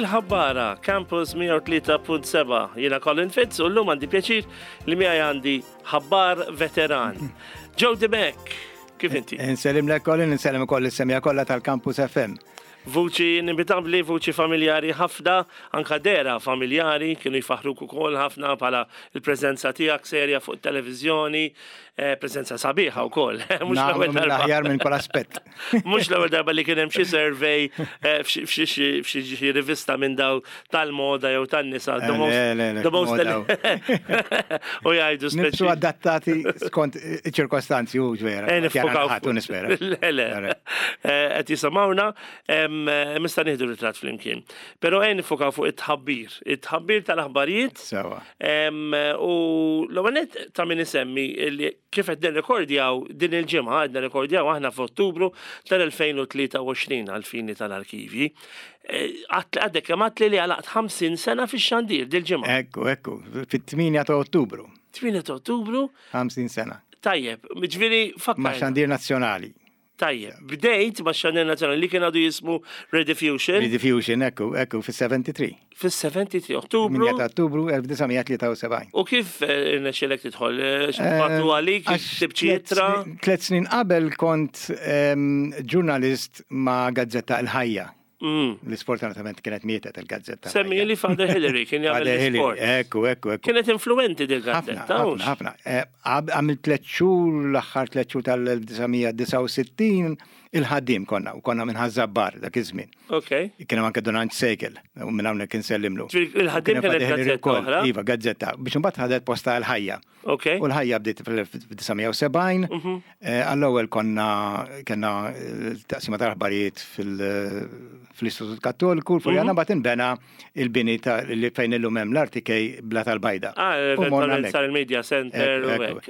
Il-Ħabbara, Campus 103.7. Jiena Colin Fitz u llum għandi pjaċir li miegħi għandi ħabbar veteran. Joe Dimek, kif inti? Insellim lek Colin, insellem ukoll is-semja kollha tal-Campus FM. Vuċi inevitabbli, vuċi familjari ħafna, anka dehra familjari, kienu jfaħħruk ukoll ħafna bħala l-preżenza tiegħek serja fuq it-televiżjoni, eh, preżenza sabiħa wkoll. Mhux l-ewwel darba. Aħjar minn kull aspett. Mhux l-ewwel darba li kien hemm xi survey eh, f'xi rivista minn daw tal-moda jew tan-nisa. Eh, le, le, le, U jgħidu speċi. Nibsu adattati skont iċ-ċirkostanzi u vera. Eh, nispera. Le, le. Qed jisimgħuna, mista nieħdu ritratt flimkien. Però ejn nifokaw fuq it-tħabbir, it-tħabbir tal-aħbarijiet. Sewa. U l-ewwel ta' min isemmi li kif qed nirrekordjaw din il-ġimgħa, qed nirrekordjaw aħna f'Ottubru tal-2023 għall-fini tal-arkivji. Eh, għadek kemm għatli li għalaqt 50 sena fix-xandir dil-ġimgħa. Ekku, ekku, fit-8 ta' Ottubru. 8 ta' Ottubru. 50 sena. Tajjeb, ġifieri fakkar. Ma' xandir nazzjonali. Tajjeb, bdejt ma' xandir nazzjonali li kien għadu jismu Rediffusion. Rediffusion, ekku, ekku, fis-73. Fis-73, Ottubru. 8 ta' Ottubru 1973. U kif eh, irnexxielek tidħol? Eh, x'bagħtu eh, għalik, tibċi ittra? Tlet snin qabel kont ehm, ġurnalist ma' Gazzetta Il-Ħajja. Li sfortunatament kienet mietet il-gazzetta. Semmi li Father Hillary kien jagħmel l-sport. Ekku, ekku, ekku. Kienet influenti dil gazzetta. Ħafna, ħafna. Eh, għamil tliet xhur l-aħħar tliet xhur tal-1969 il-ħaddiem konna u konna minn Ħaż-Żabbar dak iż-żmien. Ok. Kien hemm anke Don Anġ Sejkel u minn hawnhekk insellimlu. Il-ħaddiem kienet gazzetta oħra. Iva, gazzetta. Biex imbagħad ħadet posta l-ħajja. Ok. U l-ħajja bdiet fl-1970. Mhm. Eh, għall-ewwel konna kellna eh, taqsima tal-aħbarijiet fil-Istitut Kattoliku, l-Furjana mhm. mbagħad inbena il-bini ta' li fejn illum hemm l-RTK bla tal-bajda. Ah, eventualment sar il-Media Center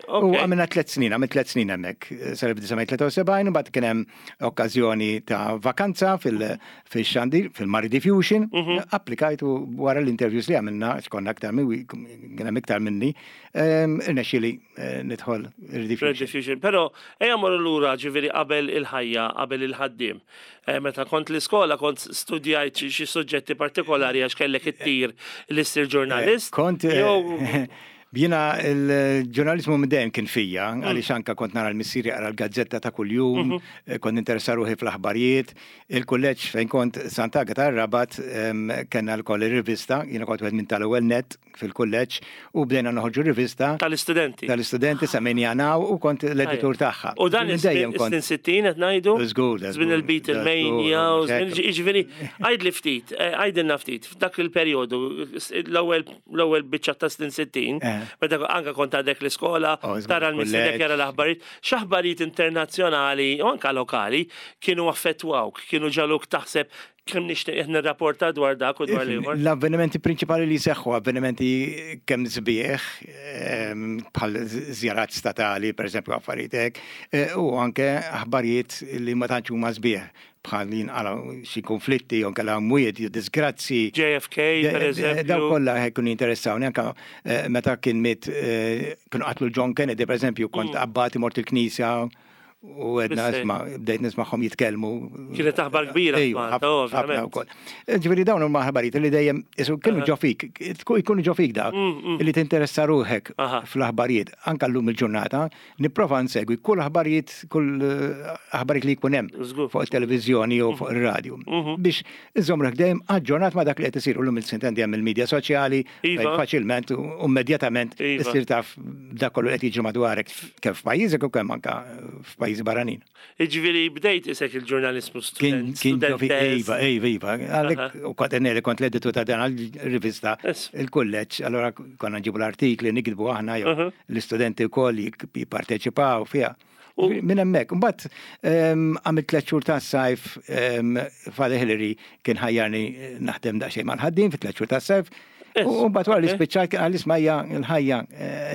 u għamilna tliet snin, għamil tliet snin hemmhekk. Sar-1973 mbagħad kien hemm okkażjoni ta' vakanza fil-xandir, fil-Mari Diffusion, mhm. applikajt u wara l-interviews li għamilna, konna aktar minn kien hemm iktar minni, ehm, irnexxieli eh, nidħol il-Rediffusion. Però ejja morru lura ġifieri qabel il-ħajja, qabel il-ħaddiem. Eh, meta kont l-iskola kont studjajt xi suġġetti partikolari għax kellek it-tir li ssir ġurnalist. Eh, kont Jiena l-ġurnaliżmu minn dejjem kien fija, mm. għaliex anka kont nara l-missier jaqra l-gazzetta ta' kuljum, mhm. eh, kont interessa ruħi fl-aħbarijiet. Il-kulleġġ fejn kont Sant'Agata Rabat kellna l-koll ir-rivista, jiena kont wieħed minn tal-ewwel net fil-kulleġġ u bdejna noħorġu rivista. Tal-istudenti. Tal-istudenti semmejniha Now u kont l-editur tagħha. U dan dejjem kont. Snin 60 qed ngħidu? Żgur. Żmien il-Beatlemania u żmien jiġifieri għidli ftit, eh, għidilna ftit, f'dak il-perjodu l-ewwel l-ewwel biċċa ta' snin 60, eh. meta anka kont għadek l-iskola, oh, tara l-missierek jara l-aħbarijiet, x'aħbarijiet internazzjonali u anka lokali kienu affettwawk, kienu ġaluk taħseb kemm nixtieq nirrapporta dwar dak u dwar l-ieħor. L-avvenimenti prinċipali li seħħu, avvenimenti kemm sbieħ, ehm, bħal żjarat statali, per eżempju, affarijiet hekk, eh, u anke aħbarijiet li ma tantx huma sbieħ bħal jinqalgħu xi konflitti jew kellha mwiet jew disgrazzi. JFK, per eżempju. Daw kollha jkunu jinteressawni anke eh, meta kien miet eh, kienu qatlu John Kennedy, per eżempju, kont mm. abbati mort il-knisja u għedna isma, bdejt nismaħħom jitkellmu. Kienet aħbar kbira, ħafna wkoll. Ġifieri dawn huma aħbarijiet li dejjem kienu ġo fik, jkunu ġo fik dak, mm, mm. li tinteressa ruħek fl-aħbarijiet, anka llum il-ġurnata, Nipprova nsegwi kull aħbarijiet, kull eh, aħbarijiet li jkun hemm fuq it-televiżjoni jew fuq ir-radju. Mhm. Biex iżomm ruħek dejjem aġġornat ma' dak li qed isir illum il-sintendi hemm il-medja soċjali iva. fejn faċilment u immedjatament iva. issir taf dak kollu qed jiġri madwarek kemm f'pajjiżek u kemm anke f'pajjiżi barranin. Jiġifieri bdejt isek il-ġurnalismu student. Kien iva, iva, iva. Għalhekk u kont li kont l-editur ta' dan rivista il-kulleġġ, allora konna nġibu l-artikli, nikdbu aħna jew l-istudenti wkoll jipparteċipaw fiha. Minn hemmhekk, imbagħad ehm, għamilt tliet xhur tas-sajf ehm, Father Hillary kien ħajjarni naħdem daqsxejn mal-ħaddiem fi tliet xhur tas-sajf. U mbagħad wara li spiċċajt kien qalli isma' hija l-ħajja.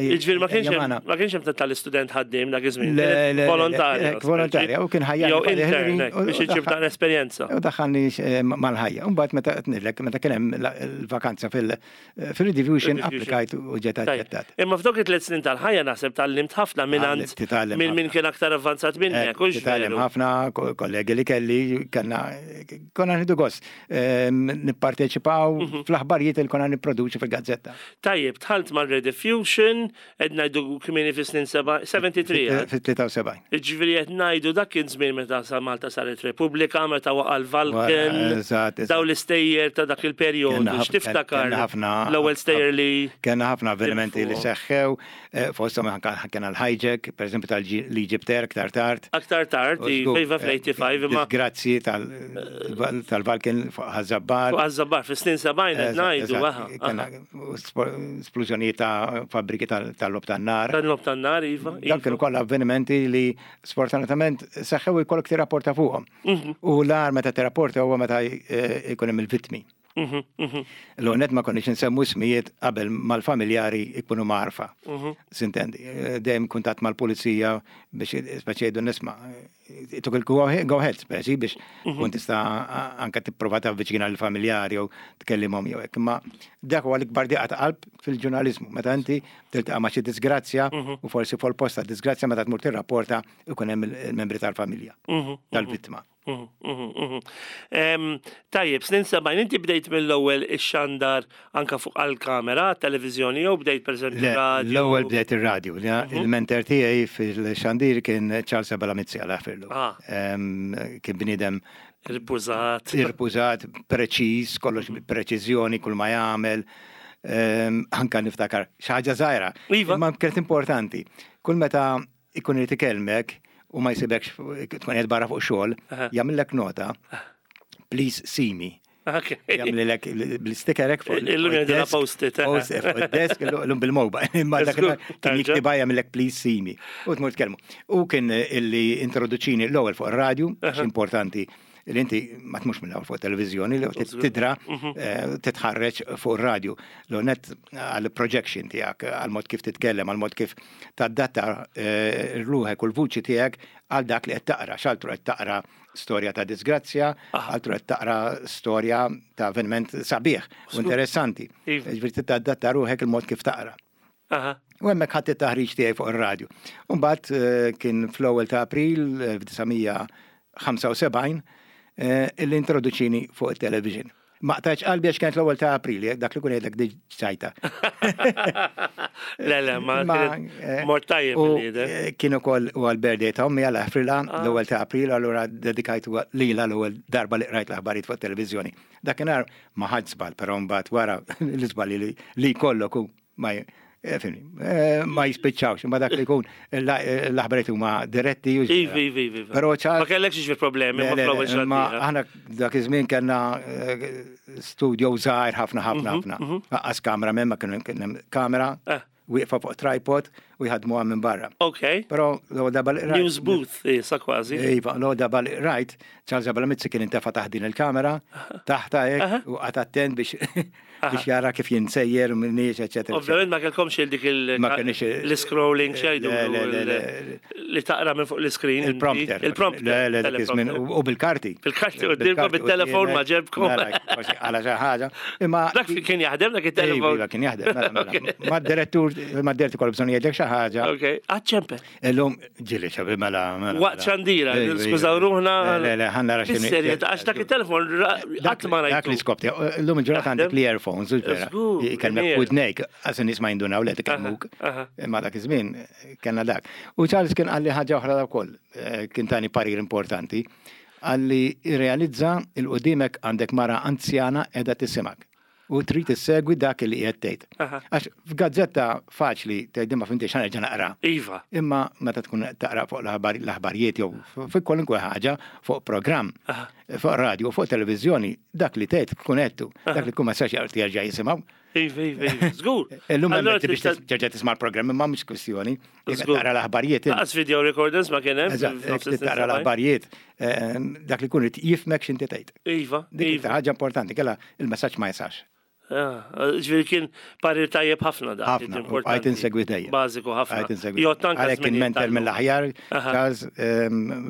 Jiġifieri ma kienx hemm ma kienx hemm tal-istudent ħaddiem dak iż-żmien. Volontarja. Volontarja u kien ħajja. Jew intern biex iġib dan esperjenza. U daħħalni mal-ħajja. U mbagħad meta qed ngħidlek meta kien hemm l-vakanza fil- Fil-Rediffusion applikajt u ġiet aċċettat. Imma f'dawk it-tliet snin tal-ħajja naħseb tgħallimt ħafna minn minn min kien aktar avvanzat minnek, hux Titgħallem ħafna, kollegi li kelli, kellna konna nieħdu gost nipparteċipaw fl-aħbarijiet li konna nipproduċu fil-gazzetta. Tajjeb, dħalt mar-Rediffusion, Qed ngħidu kmieni fis-snin 73. Fit-73. Jiġifieri qed ngħidu dak kien żmien meta sa Malta saret Repubblika, meta waqa' l-Vulcan. Dawn l-istejjer ta' dak il-perjodu. X'tiftakar? L-ewwel stejjer li. Kellna ħafna avvenimenti li seħħew, fosthom anke kellna l-hijack, pereżempju tal-Egypt Air aktar tard. Aktar tard, iva fl-85 imma. Grazzi tal-Vulcan fuq Ħaż-Żabbar. Fuq Ħaż-Żabbar, fis-snin 70 qed ngħidu. Splużjonijiet ta' fabbriki tal-logħob tan-nar. Tal-logħob tan-nar, iva. Dawn kienu kollha avvenimenti li sfortunatament seħħew u jkollok tirrapporta fuqhom. U l-agħar meta tirrapporta huwa meta jkun hemm il-vittmi. L-ewwel nett ma konniex insemmu ismijiet qabel mal-familjari jkunu mgħarrfa. Sintendi, dejjem kuntatt mal-pulizija biex speċi jgħidu nisma' tuk il-go ahead speċi biex tkun tista' anke tipprova tavviċina l-familjari jew tkellimhom jew hekk. Imma dak huwa l-ikbar diqa ta' qalb fil-ġurnaliżmu. Meta inti tiltaqa' ma' xi disgrazzja u forsi fuq il-post ta' disgrazzja meta tmur tirrapporta ikun hemm il-membri tal-familja tal-vittma. Tajjeb, snin 70, inti bdejt mill-ewwel ix-xandar anka fuq għall-kamera, televiżjoni jew bdejt pereżempju radio? L-ewwel bdejt ir-radju. Il-mentor tiegħi fil-xandir kien Charles Abela Mizzi Alla jaħfirlu. Kien bniedem Irpużat. Irpużat, preċiż, kollox preċiżjoni, kull ma jagħmel. Anka niftakar xi ħaġa żgħira. Iva. Imma kienet importanti. Kull meta ikun irid ikellmek u ma jsibekx tkun qed barra fuq xogħol, jagħmillek nota, please see me. Jagħmlilek bl-sticker hekk fuq. Illum jgħidilha post-it. Post-it fuq id-desk, illum bil-mobile. Imma dak kien jiktibha jagħmillek please see me. U tmur tkellmu. U kien illi introduċini l-ewwel fuq ir-radju, għax importanti li inti ma tmux mill-ewwel fuq televiżjoni li tidra mhm. titħarreġ fuq ir-radju. L-net għal projection tiegħek, għal mod kif titkellem, għal mod kif tadatta ruħek u l-vuċi tiegħek għal dak li qed taqra, x'altru qed taqra storja ta' disgrazzja, altru qed taqra storja ta' avveniment sabiħ u interessanti. Iva. Ġifieri tadatta ruħek il-mod kif taqra. U hemmhekk ħadt it-taħriġ tiegħi fuq ir-radju. U mbagħad kien fl-ewwel ta' April 1975 illi introduċini fuq it-television. Ma qtajtx qalbi għax kienet l-ewwel ta' April, dak li kun jgħidlek diġ ċajta. Le, le, ma mort tajjeb Kien ukoll u għal-birthday ta' ommi għal Afrilha l-ewwel ta' April, allura dedikajtu lilha l-ewwel darba li qrajt l-aħbarijiet fuq it-televiżjoni. Dakinhar ma ħadx żball, però mbagħad wara l-iżbalji li jkollok u ma eh, eh, ma jispiċċawx, imma dak li jkun l-aħbarijiet huma diretti. Iva, iva, iva. Però ċar. Ma kellekx jiġri problemi ma aħna dak iż-żmien kellna eh, studio żgħir ħafna ħafna mhm, ħafna. Mhm. Aqqas kamera minn ma kien kamera. Wieqfa fuq tripod u jħadmuha minn barra. Ok. Però l-ewwel darba li rajt. News booth issa kważi. Iva, l-ewwel darba li rajt, Charles Abela Mizzi kien intefa' taħt din il-kamera, taħta hekk u qagħad attent biex biex jara kif jien sejjer u minniex, eċetera. Ovvjament ma kellkomx il dik l-scrolling xejdu li taqra minn fuq l-screen. Il-prompter. Il-prompter. Le, le, dak iż-żmien u bil-karti. Bil-karti u bil-telefon ma ġebkom. Għala xi ħaġa. Imma dak kien jaħdem dak it-telefon. Iva, kien jaħdem. Mela, mela. Ma direttur, ma direttur kollu bżonn jgħidlek xi ħaġa. Ok, għadċempe. Illum ġieli xabi mela. mela Waqt mela. xandira, skużaw ruħna. Le, le, ħanna ra xini. Serjet, għax dak il-telefon qatt ma rajtu. Dak li skopti, illum il-ġurnata għandek li earphones, vera. Kellmek udnejk, għax nies ma jindunaw li tkellmuk. Imma dak iż-żmien kellna dak. U Charles kien qalli ħaġa oħra wkoll, eh, kien tani parir importanti, qalli realizza il-qudimek għandek mara anzjana qiegħda tisimak. U trid issegwi dak li qiegħed tgħid. Għax f'gazzetta faċli tgħid ma fimtix ħa nerġa' naqra. Iva. Imma meta tkun taqra fuq l-aħbarijiet jew fuq kwalunkwe ħaġa, fuq programm, fuq radio, fuq televiżjoni, dak li tgħid tkun għedtu, dak li tkun ma sax jerġa' jisimgħu. Iva, iva, iva, żgur. Illum hemm biex terġa' tisma' l-programm imma mhux kwistjoni. Taqra l-aħbarijiet. Laqas video recordings ma kien hemm. Eżatt, taqra l-aħbarijiet, dak li jkun irid jifhmek x'inti tgħid. Iva. Dik ħaġa importanti, kellha il-messaġġ ma jisax. Ah, ġifieri kien parir tajjeb ħafna da. Ħafna, għajt insegwi dejjem. Bażiku ħafna. Għajt insegwi. Għalhekk kien mentor mill-aħjar, Charles,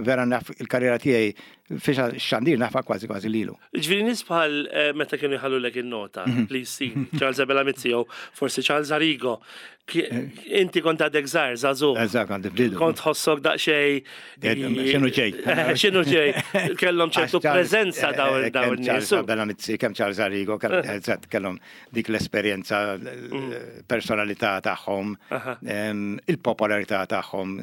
vera naf il-karriera tiegħi fiex xandir nafa kważi kważi lilu. Ġifieri nies bħal eh, meta kienu jħallulek in-nota li jsir Charles Abela Mizzi jew forsi Charles Arrigo Inti kont għadek żgħar, żagħżugħ. Eżatt, għandi fdidu. Kont tħossok daqsxejn. X'inhu ġej? X'inhu ġej? Kellhom ċertu preżenza dawn dawn nies. Bella Mizzi, kemm Charles Arrigo, eżatt kellhom dik l-esperjenza, personalità tagħhom, il-popolarità tagħhom,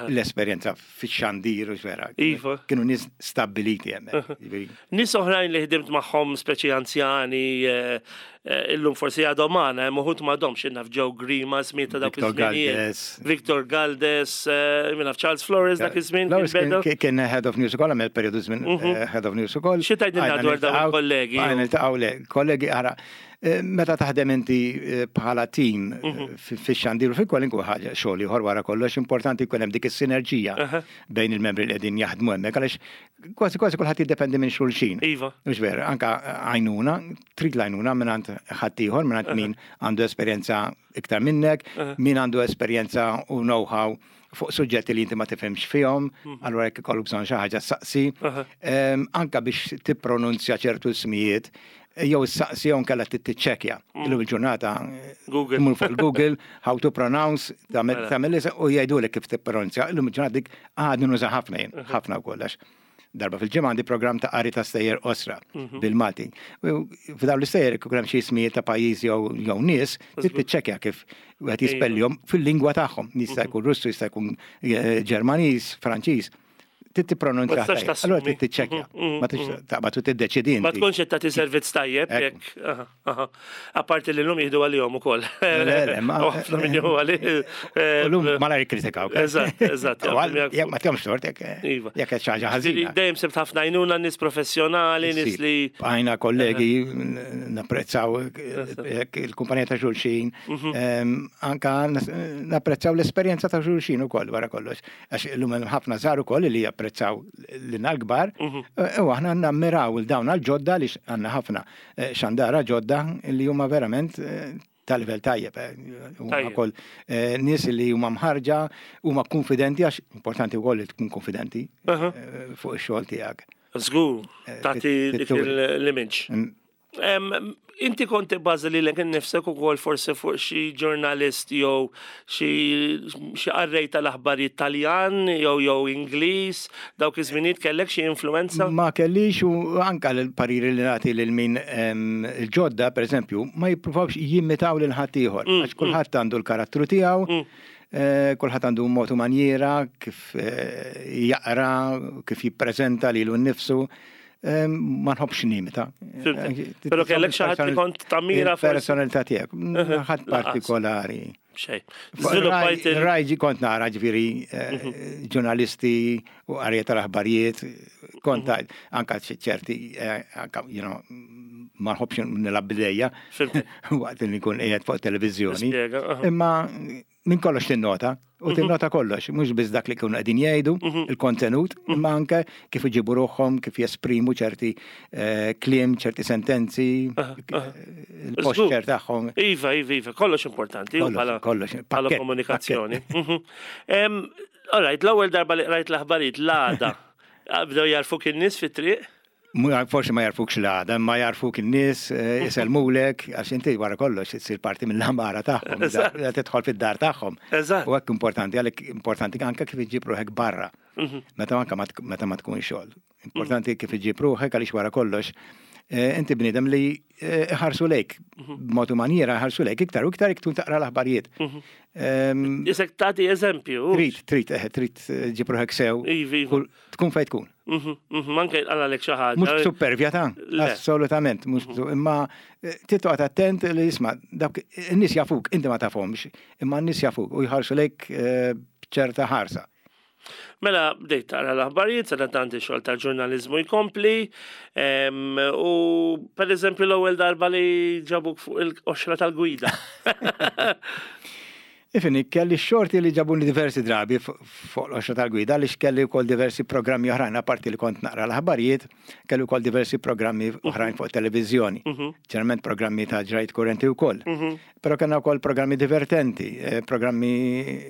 l-esperjenza fix-xandir u vera. Iva. Kienu nies stabbiliti hemmhekk. Nies oħrajn li ħdimt magħhom speċi anzjani, eh, eh, illum forsi għadhom magħna, hemm uħud m'għadhomx naf Joe Grima, żmien ta' dawk Victor Galdes. Victor Galdes, eh, min naf Charles Flores dak iż-żmien. Kien head of news ukoll, għamel periodu żmien mhm. head of news ukoll. Xi tgħidilna dwar dawn kollegi? Għajna niltaqgħu le, kollegi ara. Meta taħdem inti bħala tim mhm. fix-xandir u fi kwalinkwe ħaġa xogħol ieħor wara kollox importanti jkun hemm dik is-sinerġija bejn il-membri li qegħdin jaħdmu hemmhekk għaliex Kważi kważi kulħadd jiddependi minn xulxin. Iva. Mhux vera, anka għajnuna, trid l-għajnuna mingħand ħaddieħor, mingħand min għandu esperjenza iktar minnek, min għandu esperjenza u know-how fuq suġġetti li inti ma tifhimx fihom, mhm. allura jekk ikollok bżonn xi ħaġa saqsi. Anka biex tippronunzja ċertu ismijiet, jew issaqsi jew nkella tiċċekkja. Mm. Illum il-ġurnata Google. Mur fuq Google how to pronounce, tagħmel mela. u jgħidulek kif tippronunzja. Illum il-ġurnata dik għadni nuża ħafna jien, mhm. ħafna wkoll għax darba fil-ġimgħa għandi programm ta' qari ta' stejjer osra mhm. bil-Malti. F'dawn l-istejjer ikun hemm xi ismijiet ta' pajjiż jew nies, trid tiċċekkja kif wieħed jispellihom fil-lingwa tagħhom. Jista' mhm. jkun Russu, jista' jkun eh, Ġermaniż, Franċiż. Trid tippronunzja. Allura trid tiċċekkja. Mm, mm, ma tix mm. taqbad u tiddeċidi. Ma tkunx qed tagħti servizz tajjeb jekk. Apparti li llum jieħdu għalihom ukoll. Le, le, ma. Ħafna min jieħu għalih. Eh, Llum malajr jikkritikaw. Eżatt, eżatt. Jekk ma tkomx tort jekk eh, iva. jekk qed xi ħaġa ħażina. Dejjem sibt ħafna għajnuna nies professjonali, nies li. Għajna kollegi napprezzaw eh, il-kumpanija ta' xulxin, mhm. anka napprezzaw l-esperjenza ta' xulxin ukoll wara kollox. Għax illum hemm ħafna żgħar ukoll li japprezzaw lilna l-kbar mhm. eh, u aħna nammiraw il dawn għal-ġodda li għandna ħafna eh, xandara ġodda li huma verament eh, ta' livell tajjeb. Huma wkoll nies li huma mħarġa, huma konfidenti għax importanti wkoll li tkun konfidenti fuq ix-xogħol tiegħek. Żgur, tagħti dik l-image. Mm. Inti kont tibbaża lilek innifsek ukoll forsi fuq xi ġurnalist jew xi qarrej tal-aħbarijiet Taljan jew jew Ingliż, dawk iż-żminijiet kellek xi influwenza? Ma kellix u anke l-pariri li nagħti lil min il-ġodda pereżempju ma jippruvawx jimitaw lil ħaddieħor mm, għax kulħadd mm. għandu l-karattru tiegħu, mm. eh, kulħadd għandu mod u manjiera kif eh, jaqra, kif jippreżenta lilu nnifsu. Ma nħobbx nimita. Pero kellek xi ħadd li kont tammira personalità tiegħek. Ħadd partikolari. Xej. Rajġi kont nara ġifieri eh, mhm. ġurnalisti u qarja tal-aħbarijiet, kont mhm. anka ċerti, eh, anka, you know, ma nħobbx nilab bidejja waqt li nkun qiegħed fuq televiżjoni. Imma minn kollox tinnota, u mhm. tinnota kollox, mhux biss dak li kienu qegħdin jgħidu, mhm. il-kontenut, mhm. imma anke kif iġibu ruħhom, kif jesprimu ċerti eh, kliem, ċerti sentenzi, il-posture tagħhom. Iva, iva, iva, kollox importanti, kollox, bħala komunikazzjoni. All right, l-ewwel darba li qrajt l-aħbarijiet l-għada, bdew jarfuk in-nies fit-triq? Forsi ma jarfukx l-għada, imma jarfuk in-nies, eh, isellmulek, għax inti wara kollox issir parti mill-għamara tagħhom, tidħol fid-dar tagħhom. U hekk importanti, għalhekk importanti anke kif iġġib ruħek barra. Mhm. Meta anke meta ma tkun xogħol. Importanti kif iġġib ruħek għaliex wara kollox eh, inti bniedem li eh, ħarsu lejk, mhm. b'mod u manjiera ħarsu lejk iktar u iktar iktar taqra l-aħbarijiet. Mhm. Isek tagħti eżempju. Trid, trid, trid ġib ruħek sew. Iva, iva. Tkun fejn tkun. Mhm, mhm, anke għalek xi ħaġa. Mhux supervja ta' assolutament, mhux mhm. imma eh, titqgħod attent li jisma' dawk in-nies jafuk, inti ma tafhomx, imma n-nies jafuk u jħarsu lejk eh, b'ċerta ħarsa. Mela bdejt taqra l-aħbarijiet, sa tant ix-xogħol tal-ġurnaliżmu jkompli, u per eżempju l-ewwel darba li ġabuk fuq il-qoxra tal-gwida. Ifhimni, kelli x-xorti li ġabuni diversi drabi fuq l-qoxra tal-gwida għaliex kelli wkoll diversi programmi oħrajn apparti li kont naqra l-aħbarijiet, kelli wkoll diversi programmi oħrajn fuq televiżjoni. Ġeneralment programmi ta' ġrajt kurrenti wkoll. Però kellna wkoll programmi divertenti, programmi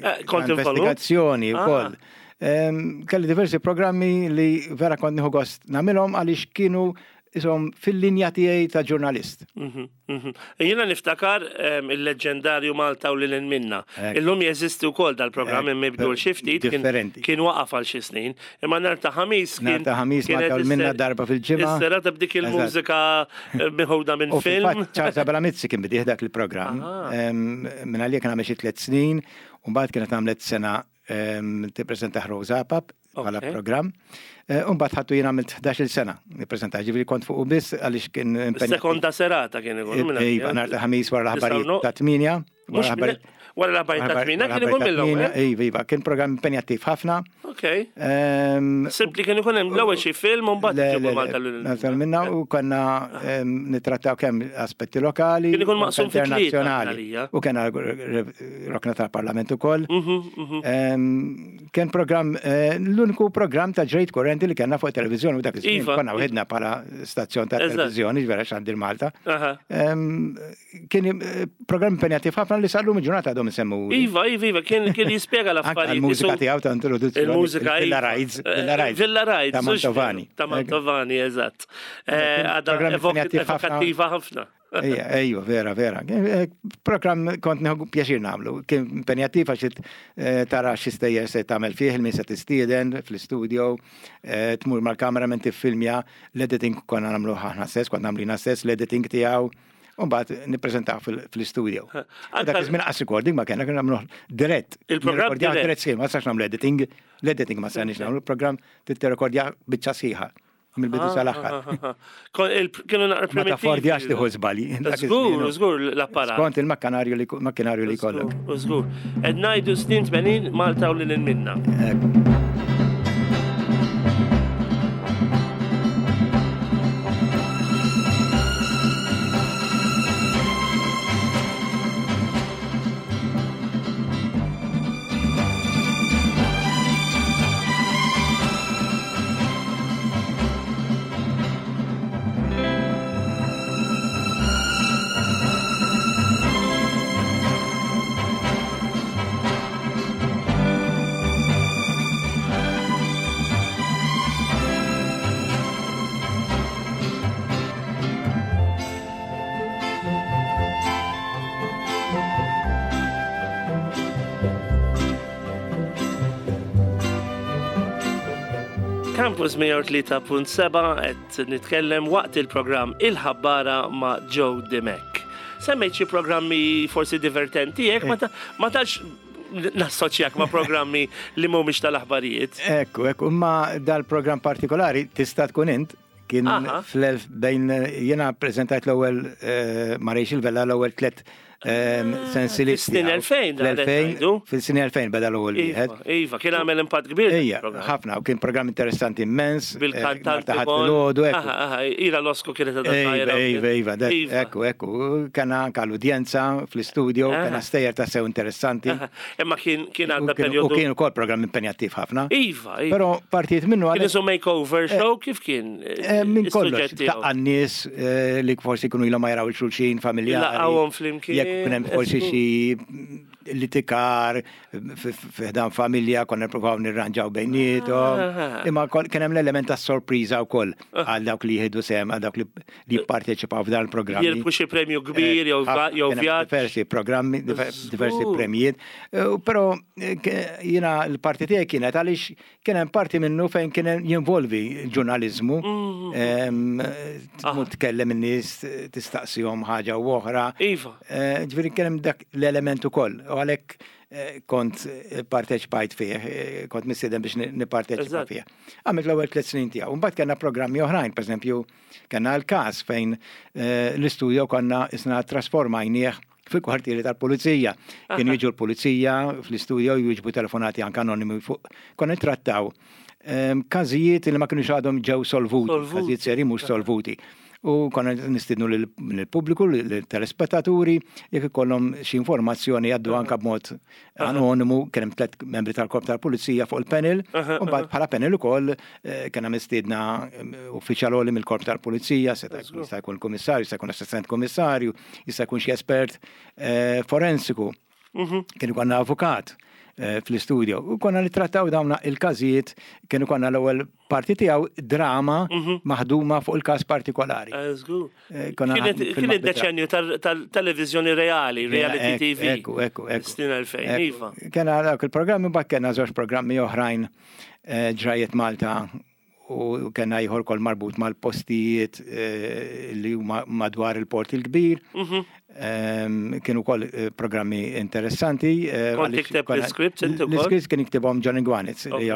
ta' investigazzjoni wkoll. Kelli diversi programmi li vera kont nieħu gost nagħmilhom għaliex kienu isom fil-linja tiegħi ta' ġurnalist. Jiena niftakar il-leġġendarju Malta u lil minna. Illum jeżisti wkoll dal-programm mibdul xi ftit. Differenti. Kien waqaf għal xi snin. Imma nhar ta' Ħamis kien. Nhar ta' Ħamis Malta u minna darba fil-ġimgħa. Is-serata b'dik il-mużika miħuda minn film. Charles Abela Mizzi kien bidih dak il-programm. Minn għalija kien għamel xi tliet snin u mbagħad kienet għamlet sena tippreżenta Rosa Apap bħala programm. U mbagħad ħadtu jien għamilt 11-il sena nippreżenta, ġifieri kont fuqu biss għaliex kien impenjat. Sekonda serata kien ikun. Iva, nhar ta' Ħamis wara l-aħbarijiet ta' 8. Wara l-aħbarijiet ta' 8 kien ikun mill-ewwel. Iva, iva, kien programm impenjattiv ħafna. Ok. Simpli kien ikun hemm l-ewwel xi film u mbagħad ġibu Malta lil. Malta minna u konna nittrattaw kemm aspetti lokali. Kien ikun maqsum fi internazzjonali. U kien rokna tal-Parlament ukoll. Kien programm l-uniku programm ta' ġrejt kurrenti li kellna fuq televiżjoni u dak iż-żmien iva. konna wħidna bħala stazzjon ta' televiżjoni ġvera xandir Malta. Kien programm impenjattiv ħafna li sal-lum il-ġurnata għadhom isemmu. Iva, iva, iva, kien kien jispjega l-affarijiet. Il-mużika tiegħu ta' introduzzjoni. Il-mużika Villa iva. Rides, Villa Rides. Villa Rides. Ta' Mantovani. Ta' Mantovani, eżatt. Għadha evokattiva ħafna. Ejja, vera, vera. Programm kont nieħu pjaċir nagħmlu. Kien impenjattiv għax tara xi stejjer se tagħmel fih, min se tistieden fl-istudio, tmur mal-cameraman tiffilmja, l-editing konna nagħmlu aħna stess, kont nagħmlu jiena stess l-editing tiegħu. U mbagħad nippreżentaw fl-istudio. Dak iż-żmien qas recording ma kellna, kien nagħmlu dirett. Il-programm dirett. Dirett sħiħ, ma sax nagħmlu editing, l-editing ma sarniex nagħmlu, il-programm tirrekordja biċċa sħiħa mill-bidu sal-aħħar. Kienu naqra Ma taffordjax tieħu żbalji. Żgur, żgur l-apparat. Skont il-makkanarju li makkinarju li jkollok. Żgur. Qed ngħidu snin 80 Malta u lil minna. Campus 103.7 qed nitkellem waqt il-programm Il-Ħabbara ma' Joe Dimech. Semmejt xi programmi forsi divertenti hekk ma tax nassoċjak ma' programmi li mhumiex tal-aħbarijiet. Ekku, ekku, imma dal-programm partikolari tista' tkun int kien fl-elf bejn jiena preżentajt l-ewwel eh, ma' Rachel Vella l-ewwel tlet Sensili. Fis-snin 2000, l-2000, fis-snin 2000 beda l-ewwel iva, wieħed. Iva, kien għamel impatt kbir. Ija, ħafna, u kien programm interessanti immens. Eh, Bil-kantant. Filgħodu, Ira Losco kienet għadha. Iva, iva, iva, ekku, ekku. Kena anka l-udjenza fl-istudio, kena stejjer ta' sew interessanti. Imma kien kien għadda periodu. U kien ukoll programm impenjattiv ħafna. Iva, iva. Però partijiet minnu għal. Kien isu makeover eh, show kif kien? Eh, minn kollox, ta' nies li forsi jkunu ilhom ma jaraw il-xulxin familjari. Laqgħuhom flimkien. Jekk ikun hemm forsi xi litikar fiħdan familja konna nippruvaw nirranġaw bejniethom. Imma kien hemm l-element ta' sorpriża wkoll għal dawk li jieħdu sehem għal dawk li jipparteċipaw f'dan il-programm. Jirbħu xi premju kbir jew jew vjaġġ. Diversi programmi, diversi premjiet. Però jiena l-parti tiegħi kienet għaliex Kien hemm parti minnu fejn kien jinvolvi l-ġurnaliżmu, tmur tkellem in-nies, tistaqsihom ħaġa u oħra. Iva. Ġifieri kien hemm dak l-element ukoll u għalhekk kont parteċipajt fih, kont mistieden biex nipparteċipa fih. Għamilt l-ewwel tliet snin tiegħu. Mbagħad kellna programmi oħrajn, pereżempju, kellna l-każ fejn l-istudio konna isna trasformajnieh fil-kwartieri tal-pulizija. Kienu jiġu l-pulizija fl-istudio jiġbu telefonati anke anonimi fuq. Konna nittrattaw każijiet li ma kienux għadhom ġew solvuti, każijiet seri mhux solvuti. U konna nistidnu lill-pubbliku, lill-telespettaturi, jekk ikollhom xi informazzjoni jgħaddu anka b'mod anonimu, kien hemm tlet membri tal-korp tal-pulizija fuq il-panel, u mbagħad bħala panel ukoll eh, kien hemm mistiedna eh, uffiċjal għoli mill-korp tal-pulizija, seta' jista' jkun kummissarju, jista' jkun assistent kummissarju, jista' jkun xi espert eh, forensiku. Mhm. Kien ikollna avukat fl-istudio. U konna nittrattaw dawn il-każijiet, kienu konna l-ewwel parti tiegħu drama mhm. maħduma fuq il-każ partikolari. Eh, kien id-deċenju tal-televizjoni reali, reality TV. Ekku, ekku, ekku. Snin 2000, iva. Kena dawk il-programmi, bak kena żewġ programmi oħrajn eh, ġrajiet Malta u kena ieħor kol marbut mal-postijiet eh, li huma madwar il-Port il-Kbir. Mhm. Ehm, kienu kol programmi interessanti. Kont tikteb l-scripts inti ukoll? L-scripts kien jiktibhom Johnny Gwanitz, li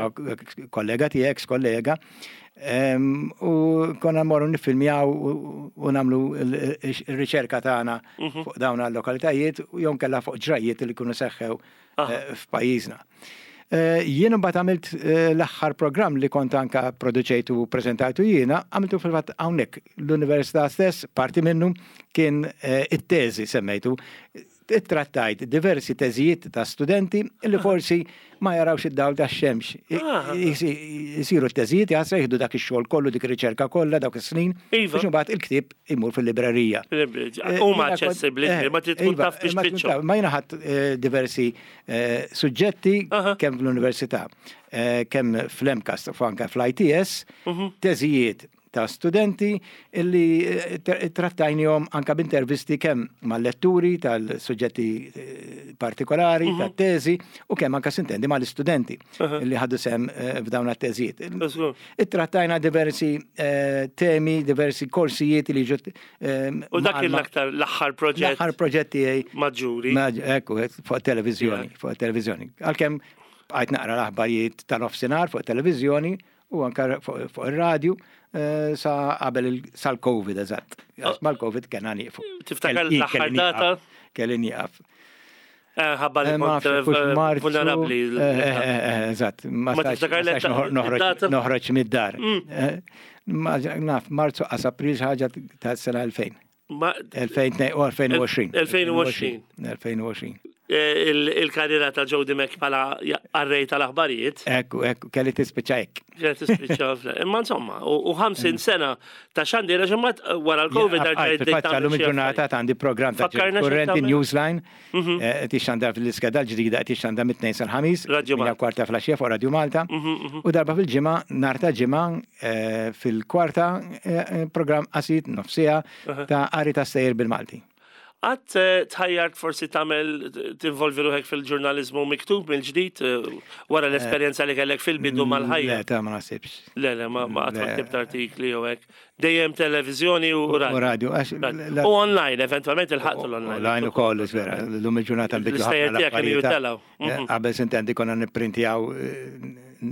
kollega tiegħek, kollega. U konna morru nifilmjaw u namlu il-riċerka tagħna mhm. fuq dawn għal-lokalitajiet u jew kella fuq ġrajiet li kunu seħħew eh, f'pajjiżna. Eh, jien imbagħad għamilt eh, l-aħħar programm li kont anka produċejtu u preżentajtu jiena, għamiltu fil-fatt hawnhekk l-università stess, parti minnu kien it-teżi semmejtu Ittrattajt diversi teżijiet ta' studenti li forsi ma jarawx id-dawl tax-xemx. Isiru t-teżijiet jaħsra jieħdu dak ix-xogħol kollu, dik ir-riċerka kollha dawk is-snin, biex imbagħad il-ktieb imur fil-librerija. Huma aċċessibbli, ma trid tkun taf biex tfittxhom. Ma jiena ħadt diversi suġġetti kemm fl-università, kemm fl-MCAST u anke fl-ITS, teżijiet ta' studenti illi eh, trattajnihom anka b'intervisti kemm mal-letturi tal-suġġetti eh, partikolari, tat-teżi u kemm anka sintendi mal-istudenti illi ħadu sem eh, f'dawn it-teżijiet. Ittrattajna diversi temi, diversi korsijiet li ġut. U dak l-aktar l-aħħar proġett. L-aħħar proġett tiegħi. Maġġuri. Ekku, fuq televizjoni, fuq televizjoni. Għalkemm bqajt naqra l-aħbarijiet ta' nofsinhar fuq televizjoni u anka fuq ir-radju eh, sa qabel sal-Covid eżatt. Għax mal-Covid kena nieqfu. Tiftakar l-aħħar data? Kelli nieqaf. Eh, ħabba li eh, kont vulnerabbli. Eżatt, ma tiftakar noħroġ mid-dar. Mm. Naf, Marzu qas April ħaġa ta' sena 2000. 2020. 2020. 2020. Eh, il-karriera ta' Joe Dimek bħala qarrej tal-aħbarijiet. Ekku, ekku, kelli tispiċċa hekk. Kelli tispiċċa, imma insomma, u 50 sena ta' xandira ġimgħat eh, wara l-Covid għal Fil-fatt il-ġurnata għandi programm ta' Kurrenti Newsline, mhm. eh, tixxandar fil-iskeda l-ġdida tixxandar mit-tnejn sal-ħamis, Radio Malta. Kwarta flaxija fuq Radio Malta. Mhm, mhm. U darba fil-ġimgħa, nar ta' ġimgħa, fil-kwarta programm qasir nofsija ta' qari ta' stejjer bil-Malti. Qatt eh, tħajjart forsi tagħmel tinvolvi ruħek fil-ġurnaliżmu miktub mill-ġdid eh, wara l-esperjenza li kellek fil-bidu mm, mal-ħajja? Le, ta' ma nasibx. Le, le, ma qatt ma ktibt artikli jew hekk. Dejjem televiżjoni u radio. U radio. U online, eventualment il-ħaqtu l-online. Online ukoll, vera, l-lum il-ġurnata nbidlu. L-istejjer tiegħek kienu jitelgħu. Mhm. Qabel sintendi konna nipprintjaw,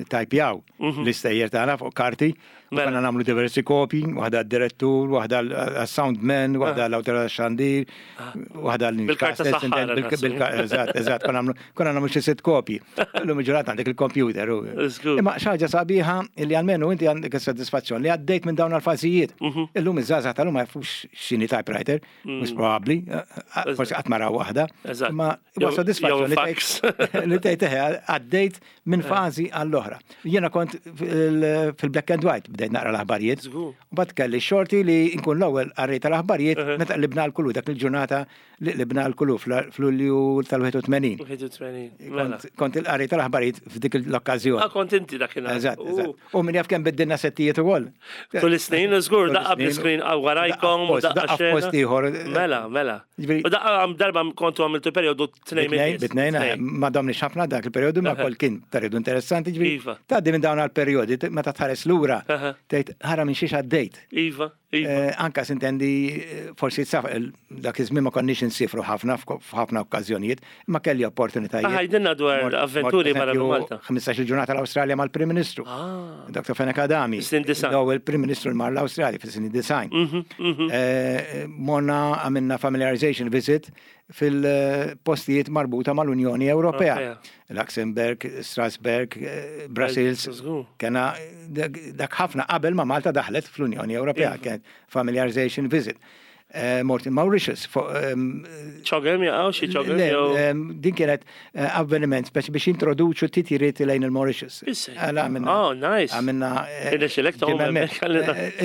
tajpjaw mhm. l-istejjer tagħna fuq karti, u mela. konna nagħmlu diversi kopji, waħda d-direttur, waħda għas-soundman, waħda ah. l-awtorità tax-xandir, ah. waħda l-Bil-karta saħħara. Eżatt, eżatt, konna nagħmlu xi sitt kopji. Illum il-ġurnata għandek il-computer. Imma xi ħaġa sabiħa li almenu inti għandek is-sodisfazzjon li għaddejt minn dawn l-fażijiet. Mhm. Illum iż-żgħażagħ tal-lum ma jafux x'inhi typewriter. Mhux mm. probabbli, eh, eh, forsi qatt mara waħda. Ma huwa sodisfazzjon li tgħid eħe għaddejt minn eh. fażi għall-oħra. Jiena kont fil-black and white bdejt naqra l-aħbarijiet. U bad kelli xorti li nkun l-ewwel qarrej tal-aħbarijiet meta qlibna l-kulu dak il-ġurnata li qlibna l-kulu fl-Lulju tal-81. Mela. Kont il-qari tal-aħbarijiet f'dik l-okkażjoni. Ah, kont inti dakinhar. Eżatt, eżatt. U min jaf kemm biddilna settijiet ukoll. Tul is-snin, żgur, daqqa bl-iskrin warajkom, daqqa post ieħor. Mela, mela. U daqqa darba kontu għamiltu perjodu tnejn minn. Bitnejn, eh, ma domniex ħafna dak il-perjodu, ma kol kien perjodu interessanti ġifieri. Iva. Tgħaddi minn dawn għall-perjodi, meta tħares lura, tgħid ħara minn xiex għaddejt. Iva. Iva. Eh, anka sintendi, eh, forsi dak iż-żmien ma konniex insifru ħafna f'ħafna okkażjonijiet, ma kelli opportunitajiet. Ah, għidilna dwar avventuri barra minn Malta. 15 ġurnata l-Awstralja mal-Prim Ministru. Ah. Dr. Fenech Adami. L-ewwel Prim Ministru mar l-Awstralja fis-snin design. Mhm, mhm. Eh, morna għamilna familiarization visit fil-postijiet marbuta mal-Unjoni Ewropea. Luxembourg, Strasbourg, Brussels, kena dak ħafna qabel ma Malta daħlet fl-Unjoni Ewropea, iva. kienet familiarization visit. Eh, mort in Mauritius. ċogem jaqaw xi ċogem? Din kienet eh, avveniment speċi biex introduċu titjiriet lejn il-Mauritius. Oh, nice. Għamilna. Irnexxilek tgħum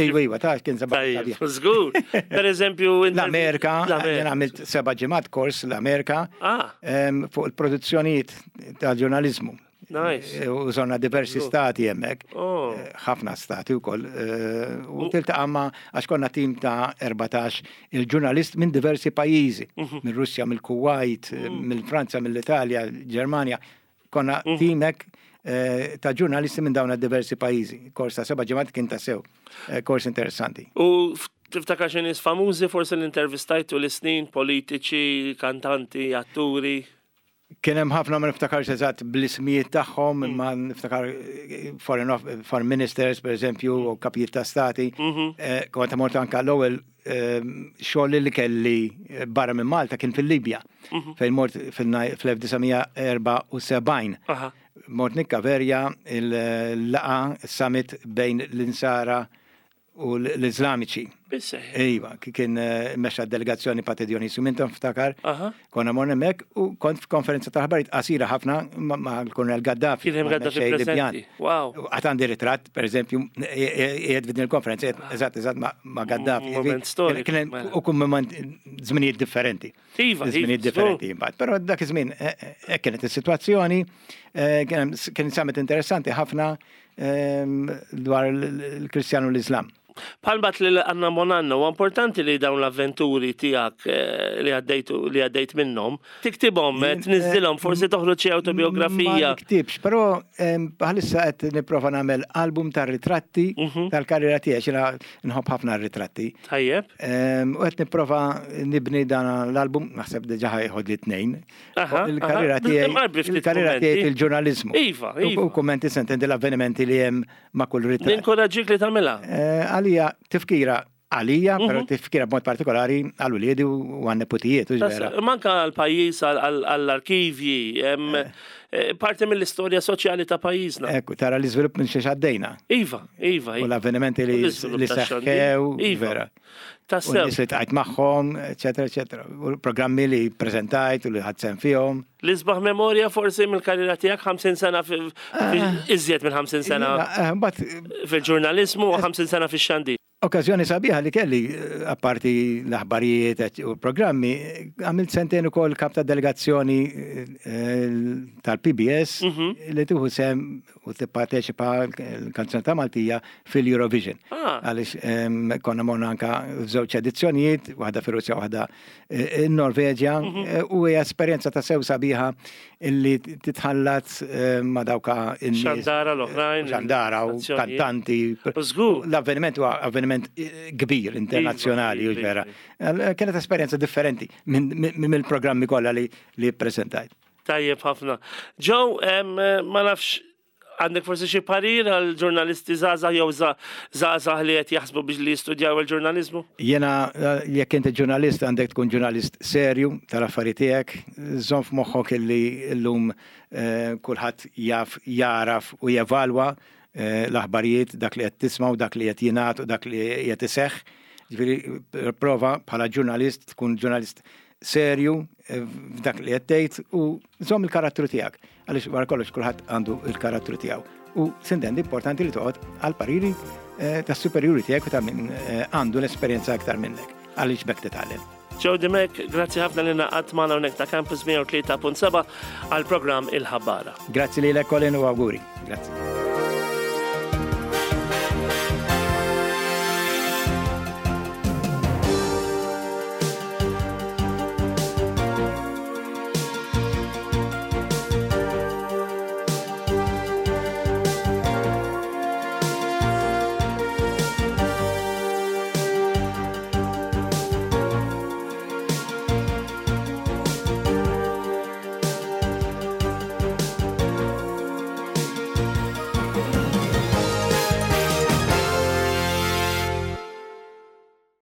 Iva, iva, ta' kien seba' Żgur. Per eżempju, l-Amerika, jien għamilt seba' ġimgħat kors l-Amerika ah. fuq il-produzzjonijiet tal-ġurnaliżmu. Nice. Eh, u zonna diversi stati hemmhekk. Oh. Eh, ħafna stati wkoll. Eh, u tiltaqa' ma' għax konna tim ta' 14 il-ġurnalist minn diversi pajjiżi, mhm. minn Russja, mill-Kuwait, mm. mill-Franza, mill-Italja, Ġermanja. Konna mhm. tim hekk ta' ġurnalisti minn dawn diversi pajjiżi. Kors ta' seba' ġimgħat kien ta' sew. Kors interessanti. U tiftakar xi nies famużi forsi l-intervistajtu l-snin, politiċi, kantanti, atturi? Kien hemm ħafna ma niftakarx eżatt bl-ismijiet tagħhom, mm. imma niftakar eh, foreign, foreign ministers, per eżempju, u kapijiet ta' stati. Mhm. Eh, kont mort anka l-ewwel eh, xogħol li kelli barra minn Malta kien fil-Libja, mhm. fejn mort fil-1974. Mort nikkaverja il-laqa summit bejn l-insara u l-Iżlamiċi. Iva, kien eh, mexxa delegazzjoni Pate Dionisju Minton ftakar. Konna morna hemmhekk u kont f'konferenza ta' ħbarijiet qasira ħafna ma' l-Kolonel Gaddafi. Kien hemm Gaddafi preżenti. Wow. Għad għandi ritratt, pereżempju, qiegħed f'din il-konferenza, eżatt eżatt ma' Gaddafi. Moment storiku. Kien hemm mela. u kun żminijiet differenti. Iva, żminijiet differenti imbagħad. Però dak iż-żmien eh, eh, hekk kienet is-sitwazzjoni, kien summit interessanti ħafna dwar il-Kristjan u l-Islam. Bħal bat li għanna Bonanno, u importanti li dawn l-avventuri tijak eh, li għaddejtu li għaddejt minnom, tiktibhom, eh, tniżżilhom, forsi toħroġ xi autobiografija. Ma niktibx, però bħalissa qed nipprova nagħmel album ta' ritratti mhm. tal-karriera tiegħi, xina nħobb ħafna ritratti. Tajjeb. U qed nipprova nibni dan l-album, naħseb diġà ħajħod li tnejn, Il-karriera tiegħi il-karriera tiegħi fil-ġurnaliżmu. Iva, iva. U kummenti sentendi l-avvenimenti li hemm ma' kull ritratt. Ninkoraġġik li tagħmilha. Eh, għalija tifkira għalija, però mhm. tifkira b'mod partikolari għal uliedi u għan neputijiet. Manka għal pajjiż għall-arkivji, eh. Eh, parti mill-istorja soċjali ta' pajjiżna. Ekku, tara l-iżvilupp minn xiex għaddejna. Iva, iva. U l-avvenimenti li seħħew, iva. vera. Tassew. U nies li tqajt magħhom, eċetera, eċetera. U programmi li preżentajt u li ħadt sehem fihom. L-isbaħ memorja forsi mill-karriera tiegħek 50 sena eh. iżjed minn 50 sena eh, fil-ġurnaliżmu u 50 sena fix-xandir. Okkażjoni sabiħa li kelli, eh, apparti l-aħbarijiet u programmi, għamilt sentejn ukoll kap ta' delegazzjoni tal-PBS mhm. li tieħu sem u tipparteċipa l-kanzunetta Maltija fil-Eurovision. Ah. Għaliex konna morna anka f'żewġ edizzjonijiet, waħda fir-Russja waħda eh, in-Norveġja, mhm. eh, u hija esperjenza ta' sew sabiħa illi titħallat eh, ma' dawka in-nies. Xandara l-oħrajn. Xandara u kantanti. L-avveniment huwa avveniment kbir internazzjonali u iva, vera. Iva. Kienet esperjenza differenti minn il-programmi kollha li ppreżentajt. Tajjeb ħafna. Joe, ma nafx għandek forsi xi parir għal ġurnalisti żgħażagħ jew żgħażagħ li qed jaħsbu biex li jistudjaw il-ġurnaliżmu? Jiena jekk inti ġurnalist għandek tkun ġurnalist serju tal-affarijiet tiegħek, żomm f'moħħok illi llum eh, kulħadd jaf jaraf u jevalwa eh, l-aħbarijiet dak li qed tisma' u dak li qed jingħad u dak li qed iseħħ. Ġifieri prova bħala ġurnalist tkun ġurnalist serju eh, f'dak li qed tgħid u żomm il-karattru tiegħek għaliex wara kollox kulħadd għandu il-karattru tiegħu. U sintendi importanti li toqgħod għal pariri eh, tas-superjuri tiegħek u ta' min eh, għandu l-esperjenza aktar minnek għaliex bekk titgħallem. Joe Dimek, grazzi ħafna li naqat magħna hawnhekk ta' Campus 103.7 għal programm Il-Ħabbara. Grazzi lilek Colin u awguri. Grazzi.